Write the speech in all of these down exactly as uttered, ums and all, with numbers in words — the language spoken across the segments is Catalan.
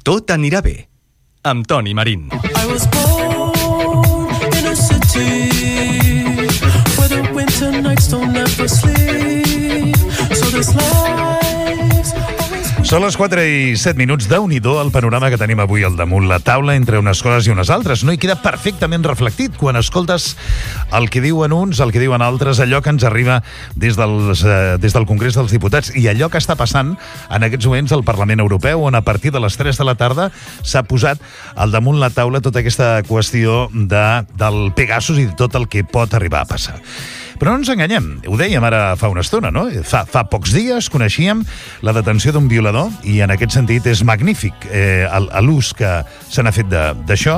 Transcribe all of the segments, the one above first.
Tot anirà bé, amb Toni Marín. I was born in a city where the winter nights don't ever sleep, so this life's Són les quatre i set minuts. Déu-n'hi-do el panorama que tenim avui al damunt la taula entre unes coses i unes altres. No hi queda perfectament reflectit quan escoltes el que diuen uns, el que diuen altres, allò que ens arriba des, dels, eh, des del Congrés dels Diputats i allò que està passant en aquests moments al Parlament Europeu, on a partir de les tres de la tarda s'ha posat al damunt la taula tota aquesta qüestió de, del Pegasus i de tot el que pot arribar a passar. Però no ens enganyem, ho dèiem ara fa una estona, no? Fa, fa pocs dies coneixíem la detenció d'un violador i en aquest sentit és magnífic eh, l'ús que se n'ha fet d'això.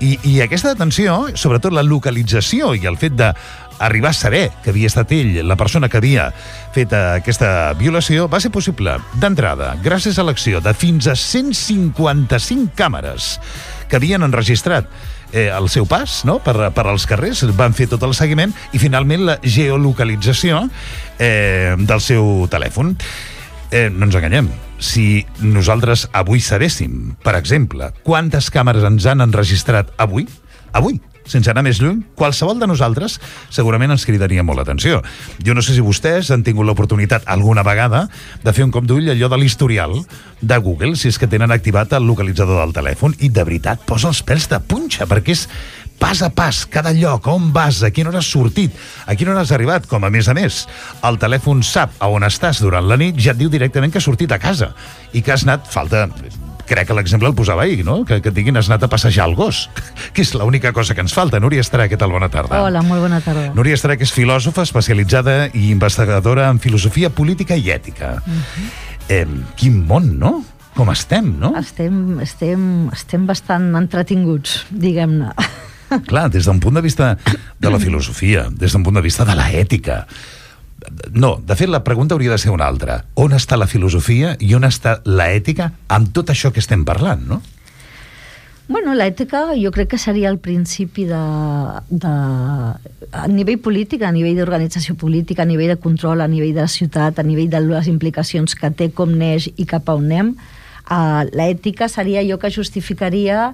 I, I aquesta detenció, sobretot la localització i el fet d'arribar a saber que havia estat ell, la persona que havia fet aquesta violació, va ser possible d'entrada gràcies a l'acció de fins a cent cinquanta-cinc càmeres que havien enregistrat Eh, el seu pas, no?, per, per als carrers, van fer tot el seguiment i finalment la geolocalització eh, del seu telèfon. Eh, no ens enganyem, si nosaltres avui sabéssim, per exemple, quantes càmeres ens han enregistrat avui, avui, sense anar més lluny, qualsevol de nosaltres segurament ens cridaria molt l'atenció. Jo no sé si vostès han tingut l'oportunitat alguna vegada de fer un cop d'ull allò de l'historial de Google, si és que tenen activat el localitzador del telèfon, i de veritat posa els pèls de punxa, perquè és pas a pas, cada lloc, on vas, a quina hora has sortit, a quina hora has arribat, com a més a més el telèfon sap a on estàs durant la nit, ja et diu directament que has sortit a casa i que has anat, falta... Crec que l'exemple el posava ahir, no? Que, que diguin has anat a passejar el gos, que és l'única cosa que ens falta. Núria Estrà, què tal? Bona tarda. Hola, molt bona tarda. Núria Estrà, que és filòsofa especialitzada i investigadora en filosofia política i ètica. Uh-huh. Eh, quin món, no? Com estem, no? Estem, estem, estem bastant entretinguts, diguem-ne. Clar, des d'un punt de vista de la filosofia, des d'un punt de vista de la ètica. No, de fet, la pregunta hauria de ser una altra. On està la filosofia i on està la ètica amb tot això que estem parlant, no? Bueno, l'ètica jo crec que seria el principi de, de... a nivell polític, a nivell d'organització política, a nivell de control, a nivell de la ciutat, a nivell de les implicacions que té, com neix i cap a on anem. Uh, l'ètica seria allò que justificaria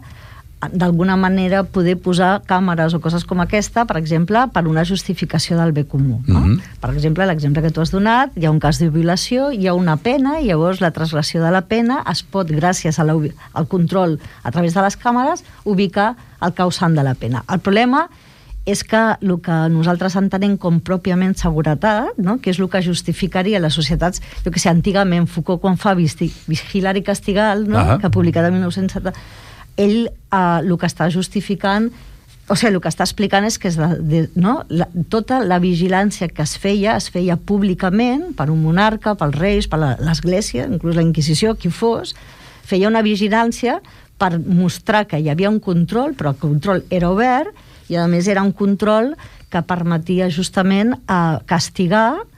d'alguna manera poder posar càmeres o coses com aquesta, per exemple, per una justificació del bé comú. No? Mm-hmm. Per exemple, l'exemple que tu has donat, hi ha un cas de violació, hi ha una pena, i llavors la transgressió de la pena es pot, gràcies a la, al control a través de les càmeres, ubicar el causant de la pena. El problema és que el que nosaltres entenem com pròpiament seguretat, no? Que és el que justificaria les societats, jo que sé, antigament Foucault quan fa Vigilar i Castigar, no? Uh-huh. Que ha publicat el mil nou-cents setanta, ell eh, el que està justificant, o sigui, el que està explicant és que és de, de, no? la, tota la vigilància que es feia, es feia públicament per un monarca, pels reis, per l'església, inclús la Inquisició, qui fos, feia una vigilància per mostrar que hi havia un control, però el control era obert i a més era un control que permetia justament eh, castigar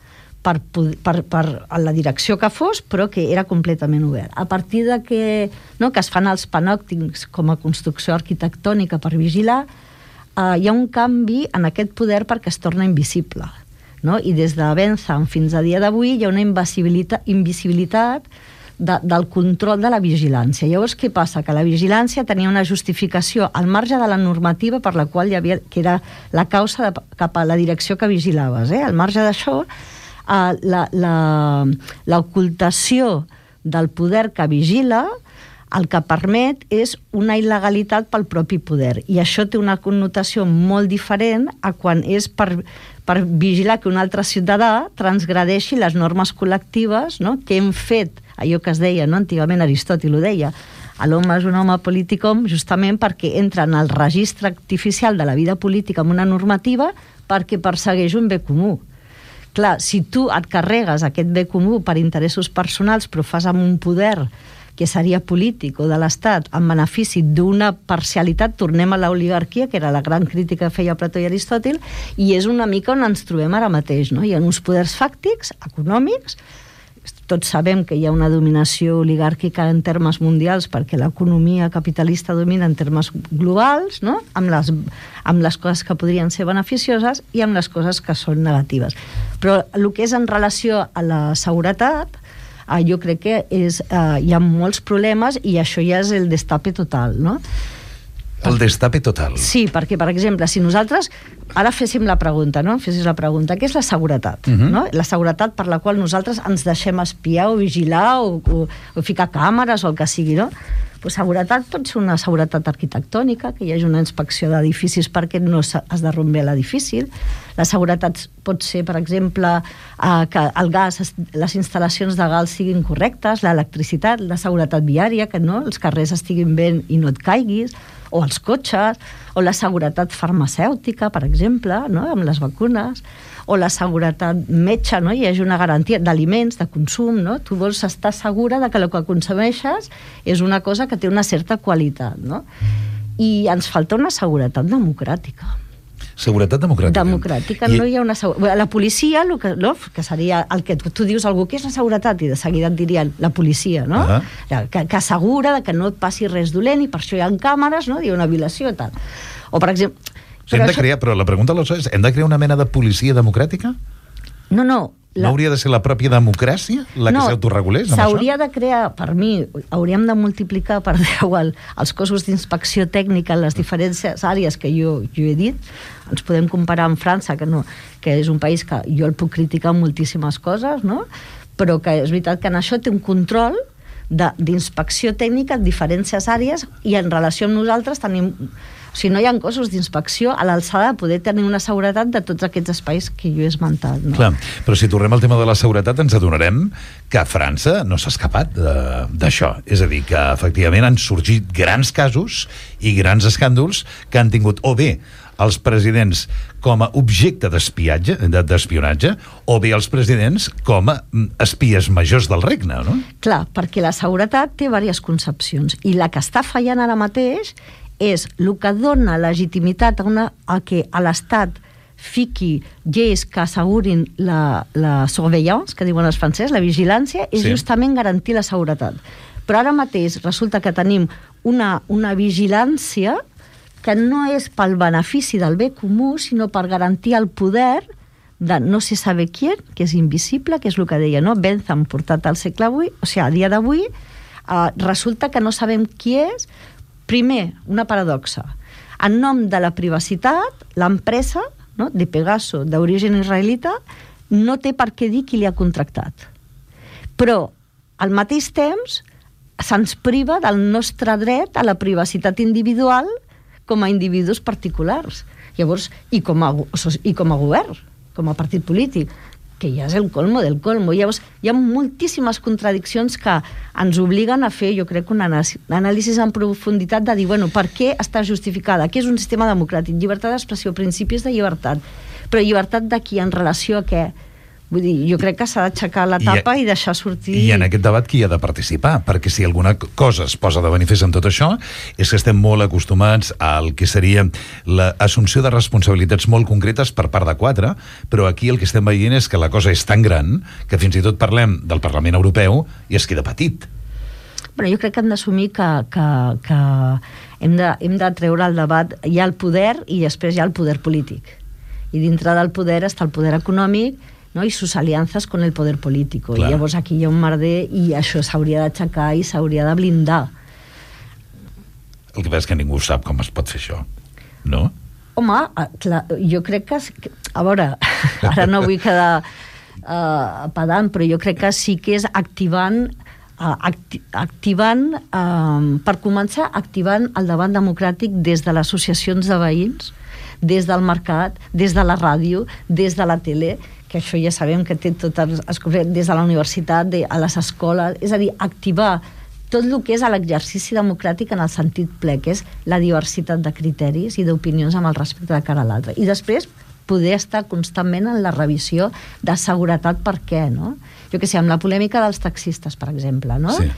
Per, per, per la direcció que fos, però que era completament obert. A partir de que, no, que es fan els panòptics com a construcció arquitectònica per vigilar, eh, hi ha un canvi en aquest poder perquè es torna invisible. No? I des de Bentham fins a dia d'avui hi ha una invisibilitat, invisibilitat de, del control de la vigilància. Llavors, què passa? Que la vigilància tenia una justificació al marge de la normativa per la qual hi havia, que era la causa de, cap a la direcció que vigilaves. Eh? Al marge d'això, Uh, la, la, l'ocultació del poder que vigila el que permet és una il·legalitat pel propi poder, i això té una connotació molt diferent a quan és per, per vigilar que un altre ciutadà transgredeixi les normes col·lectives, no? Que hem fet, allò que es deia, no? Antigament Aristòtil ho deia, l'home és un home politicom justament perquè entra en el registre artificial de la vida política amb una normativa perquè persegueix un bé comú. Clar, si tu et carregues aquest bé comú per interessos personals, però fas amb un poder que seria polític o de l'Estat en benefici d'una parcialitat, tornem a l'oligarquia, que era la gran crítica que feia Plató i Aristòtil, i és una mica on ens trobem ara mateix, no? Hi ha uns poders fàctics, econòmics, tots sabem que hi ha una dominació oligàrquica en termes mundials perquè l'economia capitalista domina en termes globals, no? Amb les, amb les coses que podrien ser beneficioses i amb les coses que són negatives. Però el que és en relació a la seguretat, uh, jo crec que és, uh, hi ha molts problemes i això ja és el destape total, no? El destape total. Sí, perquè, per exemple, si nosaltres ara féssim la pregunta, no? Fessis la pregunta, què és la seguretat? Uh-huh. No? La seguretat per la qual nosaltres ens deixem espiar o vigilar o, o, o ficar càmeres o el que sigui, no? Pues seguretat pot ser una seguretat arquitectònica, que hi hagi una inspecció d'edificis perquè no es derrumbi l'edifici. La seguretat pot ser, per exemple, eh, que el gas, les instal·lacions de gas siguin correctes, l'electricitat, la seguretat viària, que no, els carrers estiguin bé i no et caiguis, o els cotxes, o la seguretat farmacèutica, per exemple, no? Amb les vacunes, o la seguretat metge, no? Hi hagi una garantia d'aliments, de consum, no? Tu vols estar segura de que el que consumeixes és una cosa que té una certa qualitat, no? I ens falta una seguretat democràtica. Seguretat democràtica. Democràtica, I... no hi ha una seguretat. La policia, el que, no? que seria el que tu, tu dius a algú, què és la seguretat? I de seguida et dirien la policia, no? Uh-huh. Que, que assegura que no et passi res dolent i per això hi ha càmeres, no? Hi ha una violació i tal. O, per exemple... Però, hem de això... crear, però la pregunta és, hem de crear una mena de policia democràtica? No, no. La... No hauria de ser la pròpia democràcia la que no, s'autoregulés? S'hauria de crear, per mi, hauríem de multiplicar per deu el, els cossos d'inspecció tècnica en les diferents àrees que jo, jo he dit. Ens podem comparar amb França, que, no, que és un país que jo el puc criticar en moltíssimes coses, no? Però que és veritat que en això té un control d'inspecció tècnica en diferents àrees i en relació amb nosaltres tenim... O sigui, no hi ha cossos d'inspecció a l'alçada de poder tenir una seguretat de tots aquests espais que jo he esmentat. No? Clar, però si tornem al tema de la seguretat ens adonarem que França no s'ha escapat d'això. És a dir, que efectivament han sorgit grans casos i grans escàndols que han tingut o bé els presidents com a objecte d'espiatge, d'espionatge, o bé els presidents com a espies majors del regne, no? Clar, perquè la seguretat té diverses concepcions i la que està fallant ara mateix és el que dona legitimitat a, una, a que a l'Estat fiqui lleis que assegurin la, la surveillance, que diuen els francesos, la vigilància, és sí. justament garantir la seguretat. Però ara mateix resulta que tenim una, una vigilància que no és pel benefici del bé comú, sinó per garantir el poder de no se sabe quién, que és invisible, que és el que deia, no? Bentham, portat al segle avui, o sigui, a dia d'avui, eh, resulta que no sabem qui és. Primer, una paradoxa. En nom de la privacitat, l'empresa, no, de Pegaso, d'origen israelita, no té per què dir qui li ha contractat. Però, al mateix temps, se'ns priva del nostre dret a la privacitat individual com a individus particulars. Llavors, i com a, i com a govern, com a partit polític, que ja és el colmo del colmo. Llavors, hi ha moltíssimes contradiccions que ens obliguen a fer, jo crec, una anàlisi en profunditat de dir, bueno, per què està justificada? Què és un sistema democràtic? Llibertat d'expressió, principis de llibertat. Però llibertat de qui en relació a què? Vull dir, jo crec que s'ha d'aixecar la tapa i, i deixar sortir... I en aquest debat qui ha de participar? Perquè si alguna cosa es posa de manifest en tot això és que estem molt acostumats al que seria l'assumpció de responsabilitats molt concretes per part de quatre, però aquí el que estem veient és que la cosa és tan gran que fins i tot parlem del Parlament Europeu i es queda petit. Bueno, jo crec que hem d'assumir que, que, que hem, de, hem de treure el debat. Hi ha el poder i després hi ha el poder polític. I dintre del poder està el poder econòmic, no? I sus aliances con el poder político. Clar. I llavors aquí hi ha un merder i això s'hauria d'aixecar i s'hauria de blindar. El que passa és que ningú sap com es pot fer això, no? Home, clar, jo crec que... A veure, ara no vull quedar uh, pedant, però jo crec que sí que és activant, uh, acti activant uh, per començar, activant el debat democràtic des de les associacions de veïns, des del mercat, des de la ràdio, des de la tele, que això ja sabem que té tot els, des de la universitat, de, a les escoles, és a dir, activar tot el que és l'exercici democràtic en el sentit ple, que és la diversitat de criteris i d'opinions amb el respecte de cara a l'altre. I després poder estar constantment en la revisió de seguretat per què, no? Jo què sé, amb la polèmica dels taxistes, per exemple, no? Sí.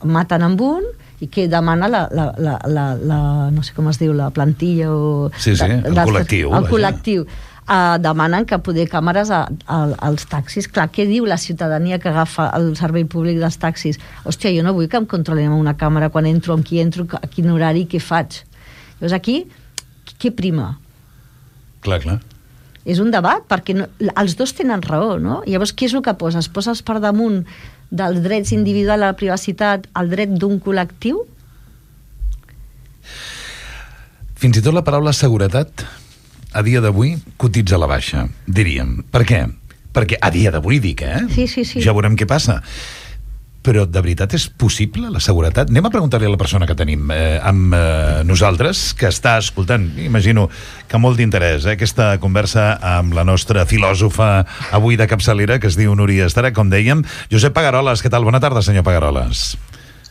Maten amb un i que demana la, la, la, la, la no sé com es diu, la plantilla o... Sí, sí, de, el de, col·lectiu. El col·lectiu. Uh, demanen que poder càmeres a, a, als taxis. Clar, què diu la ciutadania que agafa el servei públic dels taxis? Hòstia, jo no vull que em controlem una càmera quan entro, amb qui entro, a quin horari, què faig? Llavors aquí, què prima? Clar, clar. És un debat, perquè no, els dos tenen raó, no? Llavors, què és el que poses? Poses per damunt dels drets individuals a la privacitat al dret d'un col·lectiu? Fins i tot la paraula seguretat a dia d'avui cotitza a la baixa, diríem. Per què? Perquè a dia d'avui dic, eh? Sí, sí, sí. Ja veurem què passa. Però de veritat és possible la seguretat? Anem a preguntar-li a la persona que tenim eh, amb eh, nosaltres, que està escoltant, imagino que molt d'interès, eh, aquesta conversa amb la nostra filòsofa avui de capçalera, que es diu Núria Estara, com dèiem. Josep Pagaroles, què tal? Bona tarda, senyor Pagaroles.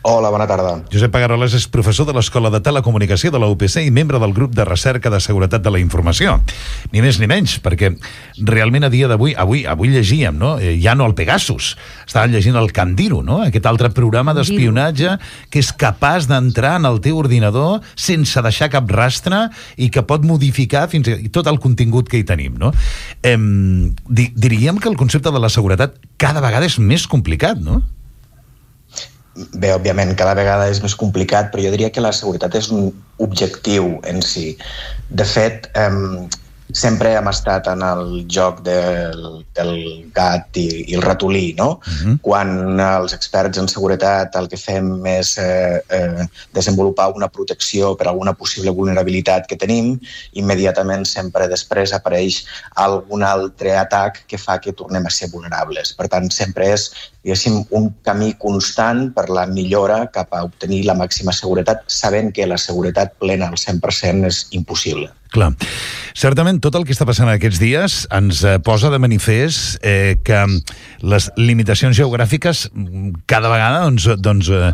Hola, bona tarda. Josep Pagaroles és professor de l'Escola de Telecomunicació de la U P C i membre del grup de recerca de seguretat de la informació. Ni més ni menys, perquè realment a dia d'avui, avui avui llegíem, no? Ja no el Pegasus, estàvem llegint el Candiru, no? Aquest altre programa d'espionatge que és capaç d'entrar en el teu ordinador sense deixar cap rastre i que pot modificar fins i tot el contingut que hi tenim, no? Eh, di, diríem que el concepte de la seguretat cada vegada és més complicat, no? Bé, òbviament, cada vegada és més complicat, però jo diria que la seguretat és un objectiu en si. De fet, eh, sempre hem estat en el joc del, del gat i, i el ratolí, no? Uh-huh. Quan els experts en seguretat el que fem és eh, eh, desenvolupar una protecció per alguna possible vulnerabilitat que tenim, immediatament sempre després apareix algun altre atac que fa que tornem a ser vulnerables. Per tant, sempre és, diguéssim, un camí constant per la millora cap a obtenir la màxima seguretat, sabent que la seguretat plena al cent per cent és impossible. Clar. Certament, tot el que està passant aquests dies ens eh, posa de manifest eh, que les limitacions geogràfiques cada vegada doncs, doncs, eh,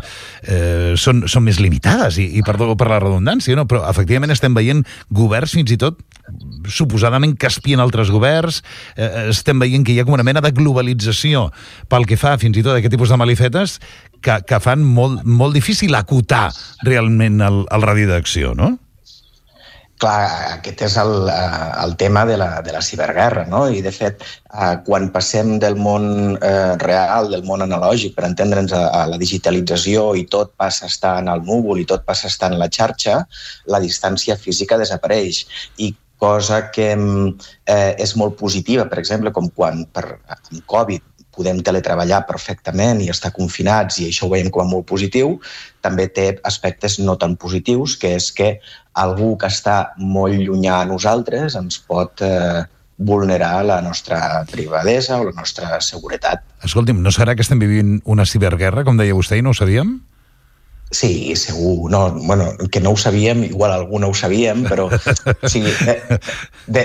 eh, són, són més limitades, i, i perdó per la redundància, no? Però efectivament estem veient governs fins i tot suposadament que espien altres governs, eh, estem veient que hi ha com una mena de globalització pel que fa fins i tot a aquest tipus de malifetes que, que fan molt, molt difícil acotar realment el, el radi d'acció, no? Clar, aquest és el, el tema de la, de la ciberguerra, no? I, de fet, quan passem del món eh, real, del món analògic, per entendre'ns a, a la digitalització i tot passa a estar en el núvol i tot passa a estar en la xarxa, la distància física desapareix. I cosa que eh, és molt positiva, per exemple, com quan per, amb Covid podem teletreballar perfectament i estar confinats, i això ho veiem com a molt positiu, també té aspectes no tan positius, que és que algú que està molt llunyà a nosaltres ens pot eh, vulnerar la nostra privadesa o la nostra seguretat. Escolti'm, no serà que estem vivint una ciberguerra, com deia vostè, i no ho sabíem? Sí, segur. No, bueno, que no ho sabíem, igual algú no ho sabíem, però o sigui, de, de,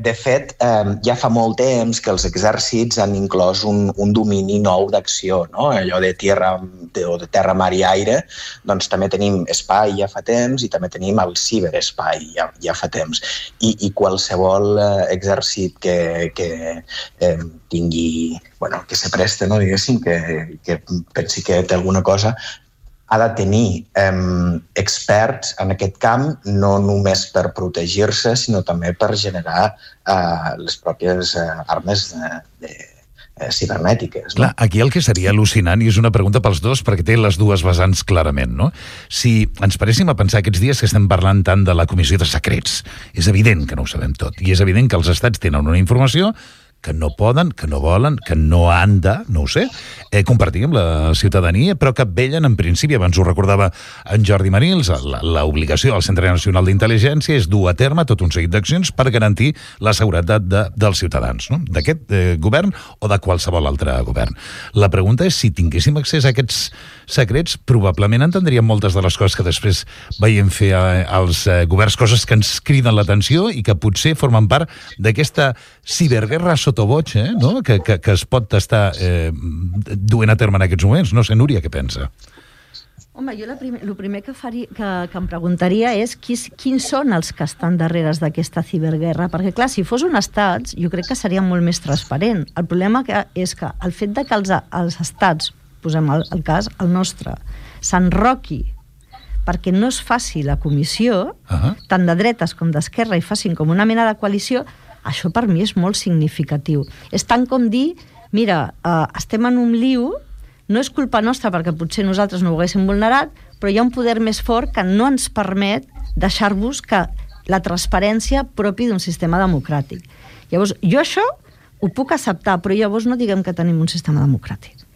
de fet, eh, ja fa molt temps que els exèrcits han inclòs un, un domini nou d'acció, no? Allò de terra, de, o de terra, mar i aire, doncs també tenim espai ja fa temps i també tenim el ciberespai ja, ja fa temps. I, i qualsevol eh, exèrcit que, que eh, tingui, bueno, que se preste, no, diguéssim, que, que pensi que té alguna cosa, ha de tenir eh, experts en aquest camp, no només per protegir-se, sinó també per generar eh, les pròpies eh, armes de, de, eh, cibernètiques. No? Clar, aquí el que seria al·lucinant, i és una pregunta pels dos, perquè té les dues vessants clarament, no? Si ens paréssim a pensar aquests dies que estem parlant tant de la Comissió de Secrets, és evident que no ho sabem tot, i és evident que els estats tenen una informació que no poden, que no volen, que no han de, no ho sé, eh, compartir amb la ciutadania, però que vellen en principi, abans ho recordava en Jordi Marils, l'obligació del Centre Nacional d'Intel·ligència és dur a terme tot un seguit d'accions per garantir la seguretat de, dels ciutadans, no? D'aquest eh, govern o de qualsevol altre govern. La pregunta és si tinguéssim accés a aquests secrets, probablement entendríem moltes de les coses que després veiem fer als eh, governs, coses que ens criden l'atenció i que potser formen part d'aquesta ciberguerra sotoboig, eh, no? que, que, que es pot estar eh, duent a terme en aquests moments. No sé, Núria, què pensa? Home, jo el primer, el primer que, faria, que, que em preguntaria és qui, quins són els que estan darrere d'aquesta ciberguerra, perquè clar, si fos un estat, jo crec que seria molt més transparent. El problema que és que el fet de que els, els estats, posem el, el cas, el nostre, s'enroqui perquè no es faci la comissió, uh-huh. tant de dretes com d'esquerra, i facin com una mena de coalició, això per mi és molt significatiu. És tant com dir, mira, eh, estem en un liu, no és culpa nostra perquè potser nosaltres no ho haguéssim vulnerat, però hi ha un poder més fort que no ens permet deixar-vos que la transparència propi d'un sistema democràtic. Llavors, jo això ho puc acceptar, però llavors no diguem que tenim un sistema democràtic.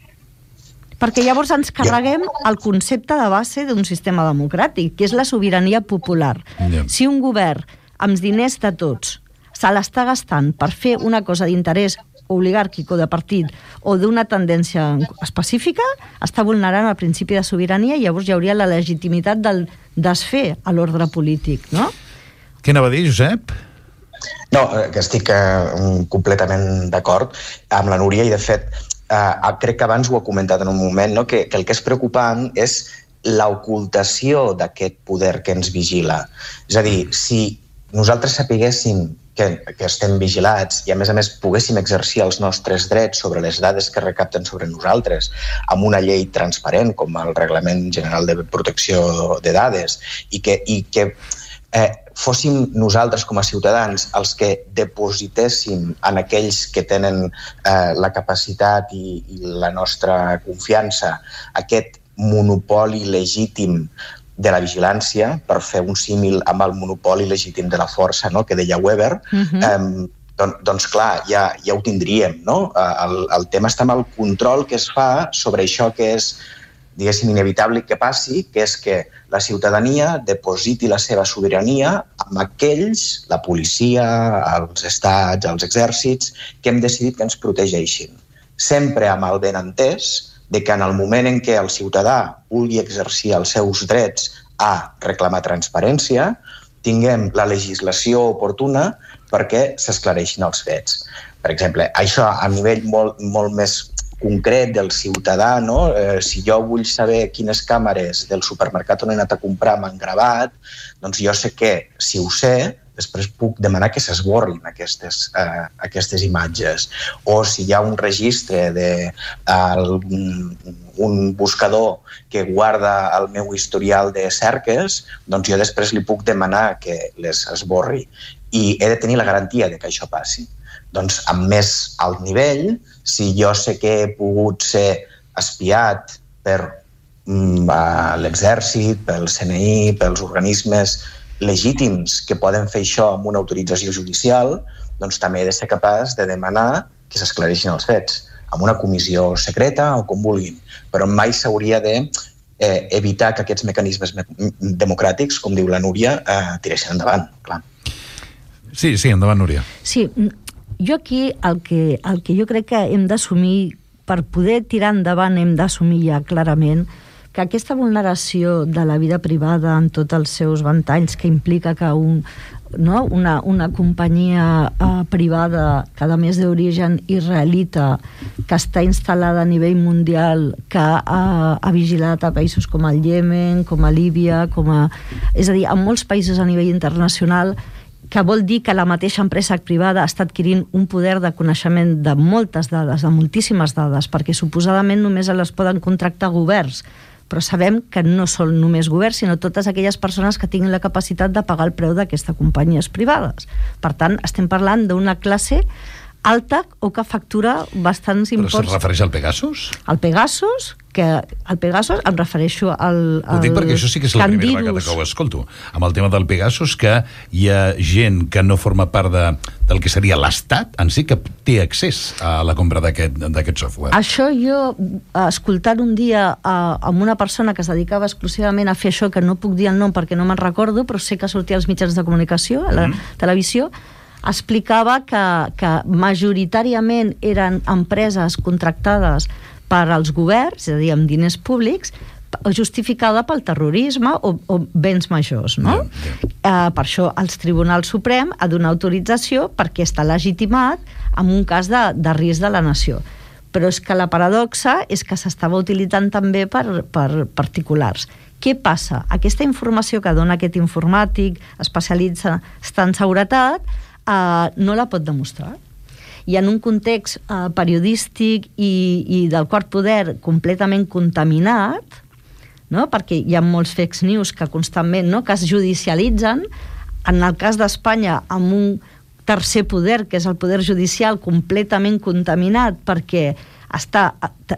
Perquè llavors ens carreguem el concepte de base d'un sistema democràtic, que és la sobirania popular. Yeah. Si un govern, amb els diners de tots, se l'està gastant per fer una cosa d'interès oligàrquic o de partit o d'una tendència específica, està vulnerant el principi de sobirania i llavors hi hauria la legitimitat del desfer a l'ordre polític, no? Què anava a dir, Josep? No, que estic eh, completament d'acord amb la Núria i, de fet, eh, crec que abans ho he comentat en un moment, no? que, que el que és preocupant és l'ocultació d'aquest poder que ens vigila. És a dir, si nosaltres sapiguéssim que, que estem vigilats i, a més a més, poguéssim exercir els nostres drets sobre les dades que recapten sobre nosaltres amb una llei transparent, com el Reglament General de Protecció de Dades, i que, i que eh, fóssim nosaltres com a ciutadans els que depositéssim en aquells que tenen eh, la capacitat i, i la nostra confiança aquest monopoli legítim de la vigilància, per fer un símil amb el monopoli legítim de la força, no?, que deia Weber, uh-huh. eh, don, doncs clar, ja, ja ho tindríem, no? El, el tema està amb el control que es fa sobre això que és, diguéssim, inevitable que passi, que és que la ciutadania depositi la seva sobirania amb aquells, la policia, els estats, els exèrcits, que hem decidit que ens protegeixin. Sempre amb el benentès de que en el moment en què el ciutadà vulgui exercir els seus drets a reclamar transparència, tinguem la legislació oportuna perquè s'esclareixin els fets. Per exemple, això a nivell molt, molt més concret del ciutadà, no? Eh, si jo vull saber quines càmeres del supermercat on he anat a comprar m'han gravat, doncs jo sé que, si ho sé, després puc demanar que s'esborrin aquestes, eh, aquestes imatges. O si hi ha un registre de uh, un buscador que guarda el meu historial de cerques, doncs jo després li puc demanar que les esborri. I he de tenir la garantia de que això passi. Doncs amb més alt nivell, si jo sé que he pogut ser espiat per mm, l'exèrcit, pel C N I, pels organismes legítims que poden fer això amb una autorització judicial, doncs també he de ser capaç de demanar que s'esclareixin els fets, amb una comissió secreta o com vulguin, però mai s'hauria de eh, evitar que aquests mecanismes me- democràtics, com diu la Núria, eh, tiressin endavant, clar. Sí, sí, endavant, Núria. Sí, jo aquí el que, el que jo crec que hem d'assumir, per poder tirar endavant hem d'assumir ja clarament que aquesta vulneració de la vida privada en tots els seus ventalls, que implica que un, no, una, una companyia eh, privada, que a més d'origen israelita, que està instal·lada a nivell mundial, que ha, ha vigilat a països com el Iemen, com a Líbia, com a, és a dir, en molts països a nivell internacional, que vol dir que la mateixa empresa privada està adquirint un poder de coneixement de moltes dades, de moltíssimes dades, perquè suposadament només les poden contractar governs, però sabem que no són només governs, sinó totes aquelles persones que tinguin la capacitat de pagar el preu d'aquestes companyies privades. Per tant, estem parlant d'una classe alta o que factura bastants imports. Però se'n refereix al Pegasus? Al Pegasus, que al Pegasus em refereixo al, al Ho dic perquè això sí que és la primera Candidus. vegada que ho escolto. Amb el tema del Pegasus, que hi ha gent que no forma part de, del que seria l'Estat en si, que té accés a la compra d'aquest d'aquest software. Això jo, escoltant un dia a, amb una persona que es dedicava exclusivament a fer això, que no puc dir el nom perquè no me'n recordo, però sé que sortia als mitjans de comunicació, a la mm. televisió, explicava que, que majoritàriament eren empreses contractades per als governs, és a dir, amb diners públics, justificada pel terrorisme o, o béns majors, no? Yeah, yeah. Uh, per això el Tribunal Suprem ha donat autorització perquè està legitimat en un cas de, de risc de la nació. Però és que la paradoxa és que s'estava utilitzant també per, per particulars. Què passa? Aquesta informació que dona aquest informàtic especialitzat en seguretat uh, no la pot demostrar. I en un context uh, periodístic i, i del quart poder completament contaminat, no? Perquè hi ha molts fake news que constantment, no? que es judicialitzen, en el cas d'Espanya amb un tercer poder, que és el poder judicial, completament contaminat perquè està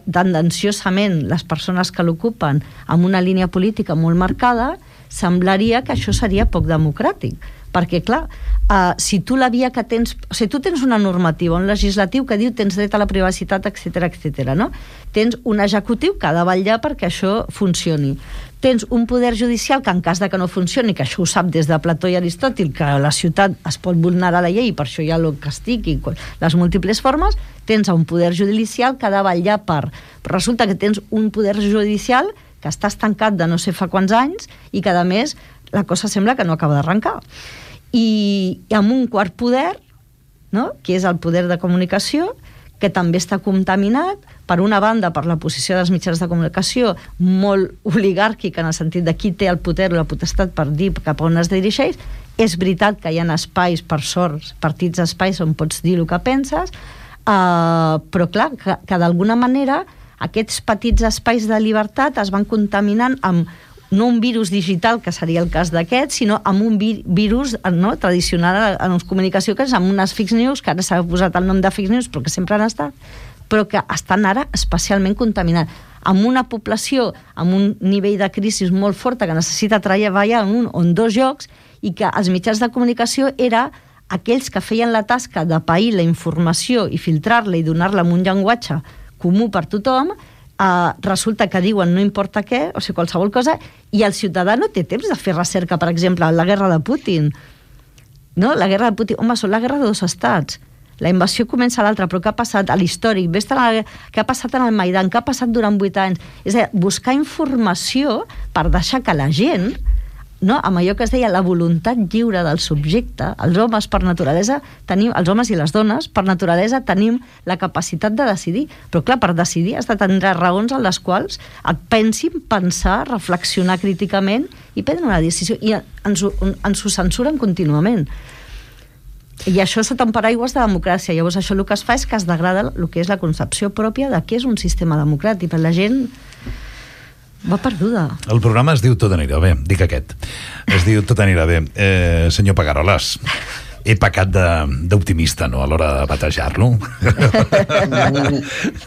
tendenciosament les persones que l'ocupen amb una línia política molt marcada, semblaria que això seria poc democràtic. perquè, clar, uh, si tu la via que tens... O sigui, tu tens una normativa, un legislatiu que diu tens dret a la privacitat, etcètera, etcètera, no? Tens un executiu que ha de vetllar perquè això funcioni. Tens un poder judicial que en cas de que no funcioni, que això ho sap des de Plató i Aristòtil, que a la ciutat es pot vulnerar la llei i per això hi ha el castig i les múltiples formes, tens un poder judicial que ha de vetllar per... Però resulta que tens un poder judicial que està estancat de no sé fa quants anys i que, a més, la cosa sembla que no acaba d'arrencar. I, i amb un quart poder, no?, que és el poder de comunicació, que també està contaminat, per una banda, per la posició dels mitjans de comunicació, molt oligàrquica, en el sentit de qui té el poder o la potestat per dir cap a on es dirigeix. És veritat que hi ha espais, per sort, partits espais on pots dir el que penses, uh, però clar, que, que d'alguna manera aquests petits espais de llibertat es van contaminant amb no un virus digital, que seria el cas d'aquest, sinó amb un vi virus no, tradicional en la comunicació, que és amb unes fake news, que ara s'ha posat el nom de fake news, però que sempre han estat, però que estan ara especialment contaminats, amb una població, amb un nivell de crisi molt forta, que necessita treballar en un o en dos llocs, i que els mitjans de comunicació era aquells que feien la tasca de pair la informació i filtrar-la i donar-la amb un llenguatge comú per tothom, eh, resulta que diuen no importa què, o sigui, qualsevol cosa, i el ciutadà no té temps de fer recerca, per exemple, la guerra de Putin. No? La guerra de Putin, home, són la guerra de dos estats. La invasió comença a l'altra, però què ha passat a l'històric? Ves a la... Què ha passat en el Maidan? Què ha passat durant vuit anys? És a dir, buscar informació per deixar que la gent, no, amb allò que es deia la voluntat lliure del subjecte, els homes per naturalesa tenim, els homes i les dones per naturalesa tenim la capacitat de decidir, però clar, per decidir has de tenir raons en les quals et pensin, pensar, reflexionar críticament i prendre una decisió, i ens, ens ho censuren contínuament. I això sota un paraigües de democràcia. Llavors això el que es fa és que es degrada el que és la concepció pròpia de què és un sistema democràtic, perquè la gent va perduda. El programa es diu Tot anirà bé, dic aquest. Es diu Tot anirà bé. Eh, senyor Pagarolas, he pecat d'optimista, no?, a l'hora de batejar-lo.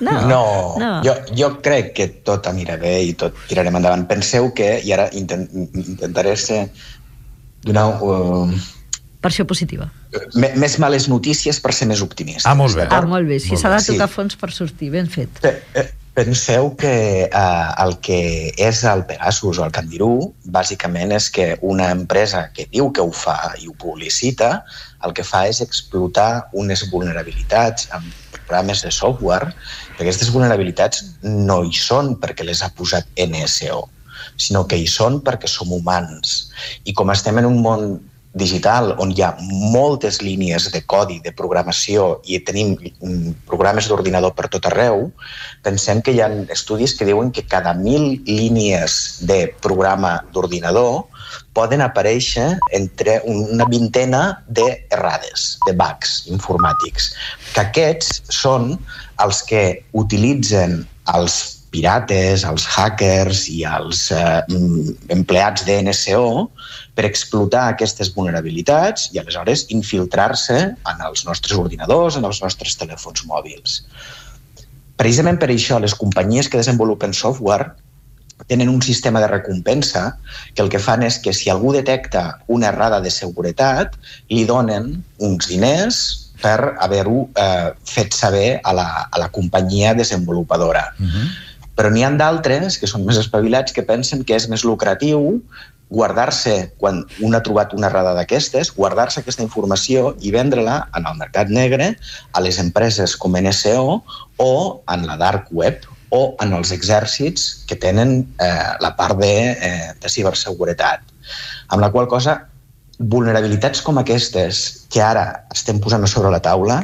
No, no. no. Jo, jo crec que tot anirà bé i tot tirarem endavant. Penseu que, i ara intent, intentaré ser donar... Uh, versió positiva. Més males notícies per ser més optimista. Ah, molt bé. Ah, molt bé. Si s'ha de tocar sí. fons per sortir, ben fet. Penseu que eh, el que és el Pegasus o el Candirú bàsicament és que una empresa que diu que ho fa i ho publicita, el que fa és explotar unes vulnerabilitats amb programes de software, que aquestes vulnerabilitats no hi són perquè les ha posat N S O, sinó que hi són perquè som humans. I com estem en un món digital on hi ha moltes línies de codi, de programació, i tenim programes d'ordinador per tot arreu, pensem que hi ha estudis que diuen que cada mil línies de programa d'ordinador poden aparèixer entre una vintena d'errades, de bugs informàtics, que aquests són els que utilitzen els pirates, els hackers i els eh, empleats de N S O per explotar aquestes vulnerabilitats i aleshores infiltrar-se en els nostres ordinadors, en els nostres telèfons mòbils. Precisament per això les companyies que desenvolupen software tenen un sistema de recompensa que el que fan és que si algú detecta una errada de seguretat li donen uns diners per haver-ho eh, fet saber a la, a la companyia desenvolupadora. Uh-huh. Però n'hi ha d'altres, que són més espavilats, que pensen que és més lucratiu guardar-se, quan un ha trobat una errada d'aquestes, guardar-se aquesta informació i vendre-la en el mercat negre a les empreses com N S O o en la dark web o en els exèrcits que tenen eh, la part de, eh, de ciberseguretat. Amb la qual cosa, vulnerabilitats com aquestes que ara estem posant sobre la taula,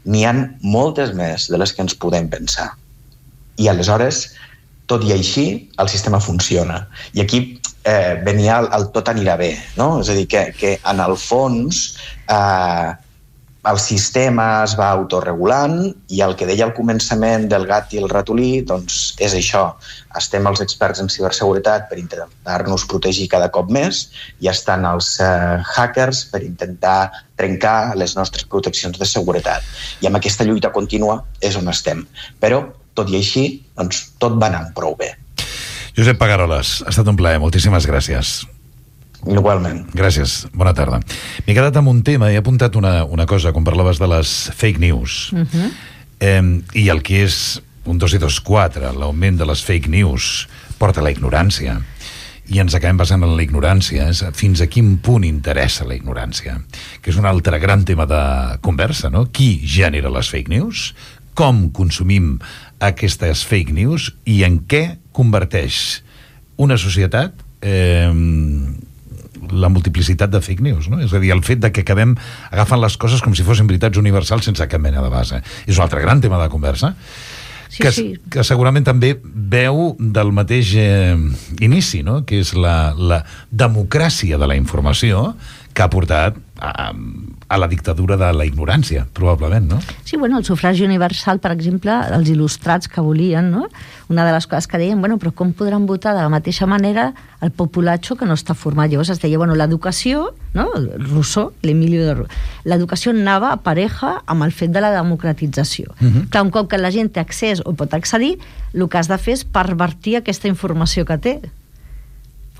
n'hi ha moltes més de les que ens podem pensar. I aleshores, tot i així, el sistema funciona. I aquí eh, venia el, el tot anirà bé, no? És a dir, que, que en el fons eh, el sistema es va autorregulant i el que deia al començament del gat i el ratolí, doncs és això. Estem els experts en ciberseguretat per intentar-nos protegir cada cop més i estan els eh, hackers per intentar trencar les nostres proteccions de seguretat. I amb aquesta lluita contínua és on estem. Però tot i així, doncs, tot va anant prou bé. Josep Pagarolas, ha estat un plaer. Moltíssimes gràcies. Igualment. Gràcies, bona tarda. M'he quedat amb un tema, he apuntat una, una cosa, quan parlaves de les fake news. Uh-huh. eh, I el que és un dos i dos quatre, l'augment de les fake news, porta a la ignorància. I ens acabem basant en la ignorància. És fins a quin punt interessa la ignorància? Que és un altre gran tema de conversa, no? Qui genera les fake news? Com consumim aquestes fake news? I en què converteix una societat eh, la multiplicitat de fake news, no? És a dir, el fet de que acabem agafant les coses com si fossin veritats universals sense cap mena de base. És un altre gran tema de conversa. Sí, que, sí. que segurament també veu del mateix eh, inici, no? Que és la, la democràcia de la informació que ha portat a, a la dictadura de la ignorància, probablement, no? Sí, bueno, el sufragi universal, per exemple, els il·lustrats que volien, no? Una de les coses que deien, bueno, però com podran votar de la mateixa manera el populatxo que no està format? Llavors es deia, bueno, l'educació, no? Rousseau, l'Emilio de Rousseau, l'educació anava a pareja amb el fet de la democratització. Uh-huh. Clar, un cop que la gent té accés o pot accedir, el que has de fer és pervertir aquesta informació que té.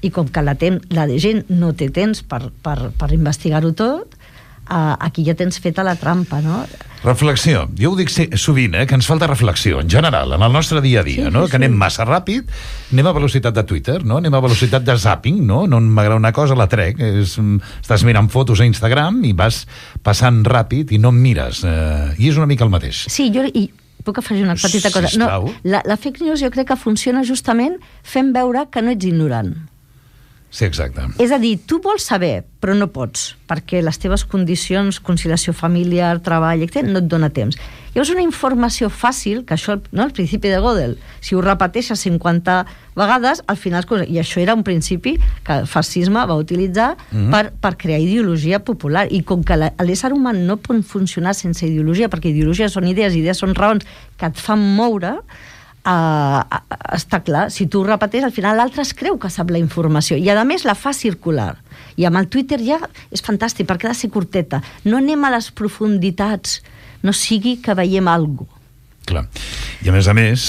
I com que la, ten, la gent no té temps per, per, per investigar-ho tot, uh, aquí ja tens feta la trampa, no? Reflexió. Jo ho dic sovint, eh, que ens falta reflexió, en general, en el nostre dia a dia, sí, no? Sí, que anem massa ràpid, anem a velocitat de Twitter, no? Anem a velocitat de zapping, no? No m'agrada una cosa, la trec. És, estàs mirant fotos a Instagram i vas passant ràpid i no em mires. Eh, I és una mica el mateix. Sí, jo... I... puc afegir una petita cosa? No, la, la fake news jo crec que funciona justament fent veure que no ets ignorant. Sí, exacte. És a dir, tu vols saber, però no pots, perquè les teves condicions, conciliació familiar, treball, etcètera, no et dona temps. Llavors, una informació fàcil, que això, no, el principi de Gödel, si ho repeteixes cinquanta vegades, al final, i això era un principi que el fascisme va utilitzar mm-hmm. per, per crear ideologia popular, i com que l'ésser humà no pot funcionar sense ideologia, perquè ideologies són idees, idees són raons que et fan moure, Uh, uh, està clar, si tu ho repeteix al final l'altre es creu que sap la informació i a més la fa circular, i amb el Twitter ja és fantàstic perquè ha de ser curteta, no anem a les profunditats, no sigui que veiem alguna cosa. Clar, i a més a més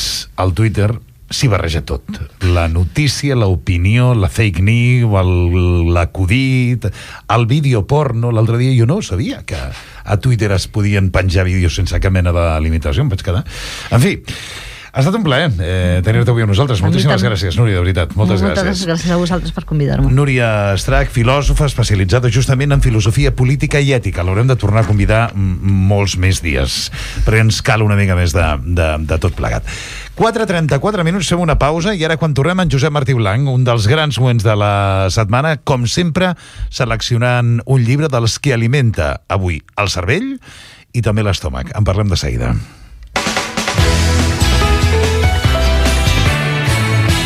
el Twitter s'hi barreja tot, la notícia, l'opinió, la fake news, l'acudit, el vídeo porno. L'altre dia jo no sabia que a Twitter es podien penjar vídeos sense cap mena de limitació, em vaig quedar, en fi. Ha estat un plaer eh, tenir-te avui amb nosaltres. Moltíssimes gràcies, Núria, de veritat. Moltes, Moltes gràcies. gràcies a vosaltres per convidar-me. Núria Estrach, filòsofa especialitzada justament en filosofia política i ètica. L'haurem de tornar a convidar molts més dies, perquè ens cal una mica més de, de, de tot plegat. quatre trenta-quatre minuts, fem una pausa, i ara quan tornem en Josep Martí Blanc, un dels grans moments de la setmana, com sempre, seleccionant un llibre dels que alimenta avui el cervell i també l'estómac. En parlem de seguida.